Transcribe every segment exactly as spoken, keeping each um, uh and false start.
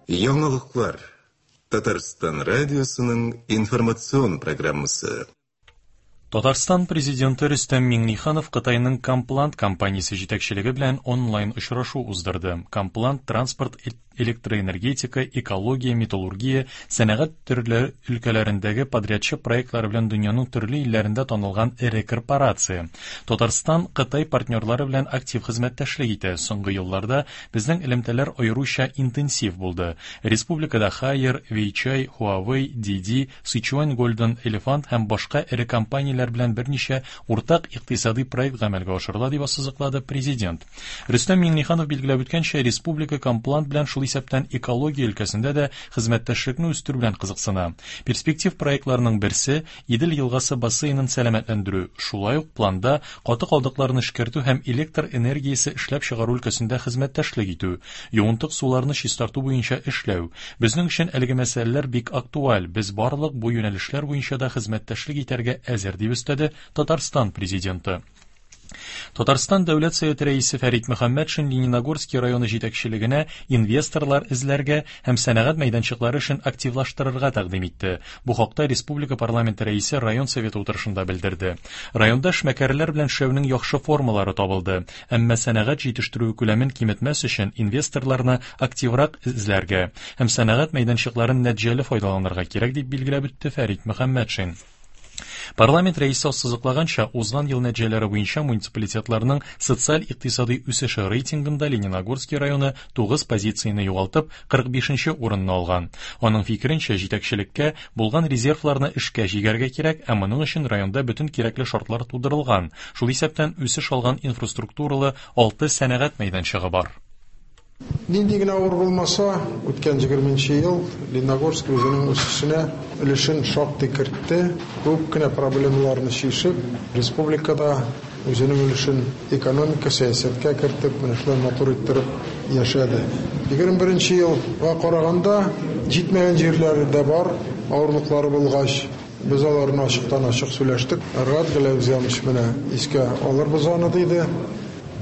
Яңалыклар. Татарстан радиосының информацион программасы. Татарстан президенты Рөстәм Миңнеханов Кытайның Комплант компаниясе җитәкчелеге белән онлайн очрашу уздырды. Комплант транспорт, электроэнергетика, экология, металлургия, сәнәгать төрле өлкәләрендәге подрядчы проектлары белән дөньяның төрле илләрендә танылган эре корпорация. Татарстан Кытай партнерлары белән актив хезмәттәшлек итә. Соңгы елларда безнең элемтәләр аеруча интенсив булды. Республикада Haier, Weichai, Huawei, Didi, Sichuan Golden Elephant һәм башка эре компанияләр белән берничә уртак икътисади проект гамәлгә ашырыла, дип ассызыклады президент. Рөстәм Миңнеханов билгеләп үткәнчә, республика Комплант белән шул исәптән экология өлкәсендә дә хезмәттәшлекне үстерү белән кызыксына. Перспектив проектларының берсе Идел елгасы бассейнын сәламәтләндерү, шулай ук планда каты калдыкларны эшкәртү һәм электр энергиясе эшләп чыгару өлкәсендә хезмәттәшлек итү, юынтык суларны чистарту буенча эшләү. Безнең өчен әлеге мәсьәләләр бик актуаль. Без барлык бу юнәлешләр буенча да хезмәттәшлек итәргә әзер, дип өстәде Татарстан президенты. Татарстан Дәүләт Советы рәисе Фәрит Мөхәммәтшин Лениногорский районы җитәкчелегенә инвесторлар эзләргә һәм сәнәгать мәйданчыклары эшен активлаштырырга тәкъдим итте. Бу хакта республика парламенты рәисе район советы утырышында белдерде. Районда эшмәкәрләр белән эшләүнең яхшы формалары табылды, әмма сәнәгать җитештерү күләмен киметмәс өчен инвесторларны активрак эзләргә һәм сәнәгать мәйданчыкларын нәтиҗәле файдаланырга кирәк, дип билгеләп үтте Фәрит Мөхәммәтшин. Парламент рәисе ассызыклаганча, узган ел нәтиҗәләре буенча муниципалитетларның социаль-икътисади үсеше рейтингында Лениногорский районы тугыз позицияне югалтып, кырык бишенче урынны алган. Аның фикеренчә, җитәкчелеккә булган резервларны эшкә җигәргә кирәк, ә моның өчен районда бөтен кирәкле шартлар тудырылган. Шул исәптән үсеш алган инфраструктуралы алты сәнәгать мәйданчыгы бар. Нинди генә авыр булмаса, үткән егерменче ел Лениногорск үзенең үсешенә өлешен шактый кертте. Күп кенә проблемаларны чишеп, республикада үзенең өлешен экономика, сәясәткә кертеп, менә шулай матур иттереп яшәде. Егерме беренче елга караганда җитмәгән җирләре дә бар, авырлыклары булгач, без аларны ачыктан-ачык сөйләштек. Рад Галәүзянович менә искә алырбыз аны, диде.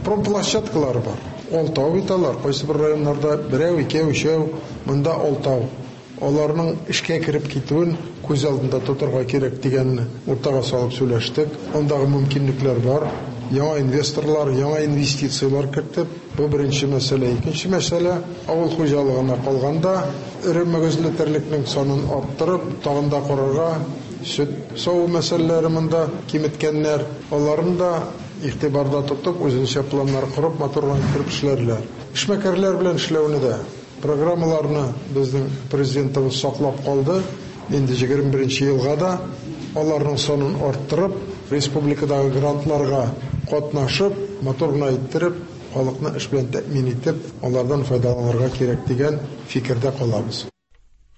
Промплощадкалары бар. Алтау бит алар, кайсы бер районнарда берәү, икәү, өчәү, монда алтау. Аларның эшкә кереп китүен күз алдында тотарга кирәк дигәнне уртага салып сөйләштек. Андагы мөмкинлекләр бар. Яңа инвесторлар, яңа инвестицияләр кертеп, бу беренче мәсьәлә. Икенче мәсьәлә, авыл хуҗалыгына калганда, эре мөгезле терлекнең санын арттырып, тагын да карарга, сөт саву мәсьәләләре монда киметкәннәр, аларын да игътибарда тотып, үзенчә планнар корып, матур итеп эшләрләр. Эшмәкәрләр белән эшләүне дә программаларны безнең президентыбыз саклап калды. Инде егерме беренче елга да аларның санын арттырып, республикадагы грантларга катнашып, матур гына иттереп, халыкны эш белән тәэмин итеп, алардан файдаланырга кирәк дигән фикердә калабыз.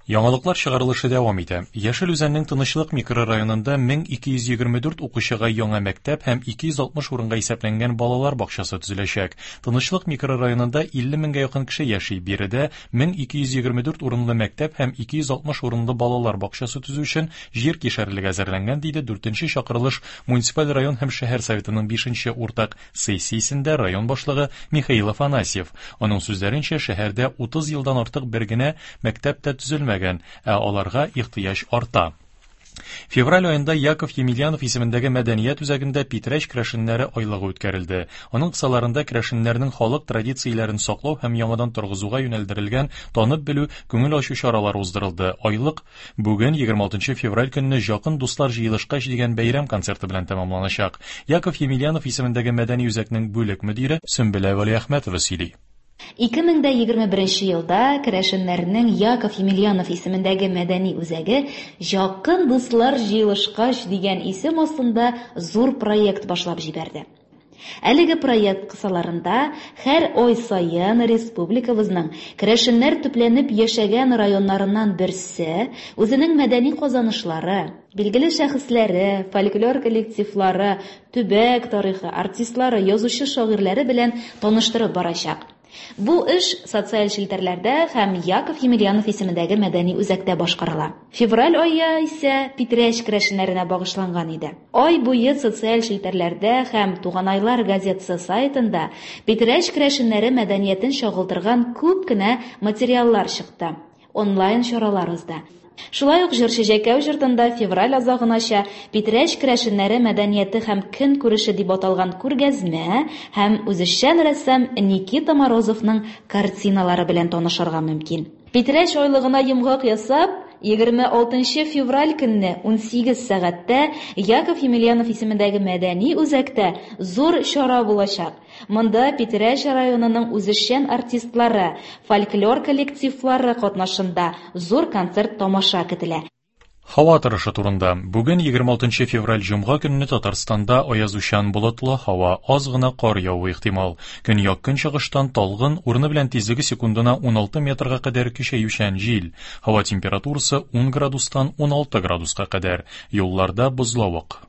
Яңалыклар чыгарылышы дәвам итә. Яшел Үзәннең Тынычлык микрорайонында мең ике йөз егерме дүрт укучыга яңа мәктәп һәм ике йөз алтмыш урынга исәпләнгән балалар бакчасы төзеләчәк. Тынычлык микрорайонында илле меңгә якын кеше яши. Биредә мең ике йөз егерме дүрт урынлы мәктәп һәм ике йөз алтмыш урынлы балалар бакчасы төзү өчен җир кишәрлеге әзерләнгән, диде дүртенче чакырылыш муниципаль район һәм шәһәр советының бишенче уртак сессиясендә район башлыгы Михаил Афанасьев. Аның сүзләренчә, шәһәрдә утыз елдан артык бер генә мәктәп тә төзелмәгән, ә аларга ихтыяҗ арта. Февраль аенда Яков Емельянов исемендәге мәдәният үзәгендә Питрәч керәшеннәре айлыгы үткәрелде. Аның кысаларында керәшеннәрнең халык традицияләрен саклау һәм яңадан торгызуга юнәлдерелгән танып белү, күңел ачу чаралары уздырылды. Айлык бүген егерме алтынчы февраль көнне Якын дуслар җыелышкач дигән бәйрәм концерты белән тәмамланачак. Яков Емельянов исемендәге мәдәни үзәкнең бүлек мөдире Сөмбелә Вәлиәхмәтова сөйли. Ике мең дә егерме беренче елда керәшеннәрнең Яков Емельянов исемендәге мәдәни үзәге Якын дуслар җыелышкач дигән исем астында зур проект башлап җибәрде. Әлеге проект кысаларында һәр ай саен республикабызның керәшеннәр төпләнеп яшәгән районнарыннан берсе үзенең мәдәни казанышлары, билгеле шәхесләре, фольклор коллективлары, төбәк тарихы, артистлары, язучы шагыйрьләре белән таныштырып барачак. Бу эш социаль челтәрләрдә һәм Яков Емельянов исемендәге мәдәни үзәктә башкарыла. Февраль ае исә Питрәч керәшеннәренә багышланган иде. Ай буе социаль челтәрләрдә һәм Туганайлар газетасы сайтында Питрәч керәшеннәре мәдәниятен чагылдырган күп кенә материаллар чыкты. Онлайн чаралар узды. Шулай ук Җырчы Җәкәү йортында февраль азагынача Питрәч керәшеннәре мәдәнияте һәм көнкүреше дип аталган күргәзмә һәм үзешчән рәссам Никита Морозовның картиналары белән танышырга мөмкин. Питрәч айлыгына йомгак ясап, егерме алтынчы февраль көнне унсигез сәгатьтә Яков Емельянов исемендәге мәдәни үзәктә зур чара булачак. Монда Питрәч районының үзешчән артистлары, фольклор коллективлары катнашында зур концерт тамаша көтелә. Һава торышы турында. Бүген егерме алтынчы февраль җомга көнне Татарстанда аязучан болытлы һава, аз гына кар явуы ихтимал. Көньяк көнчыгыштан талгын, урыны белән тизлеге секундына уналты метрга кадәр көчәючән җил. Һава температурасы ун градустан уналты градуска кадәр. Юлларда бозлавык.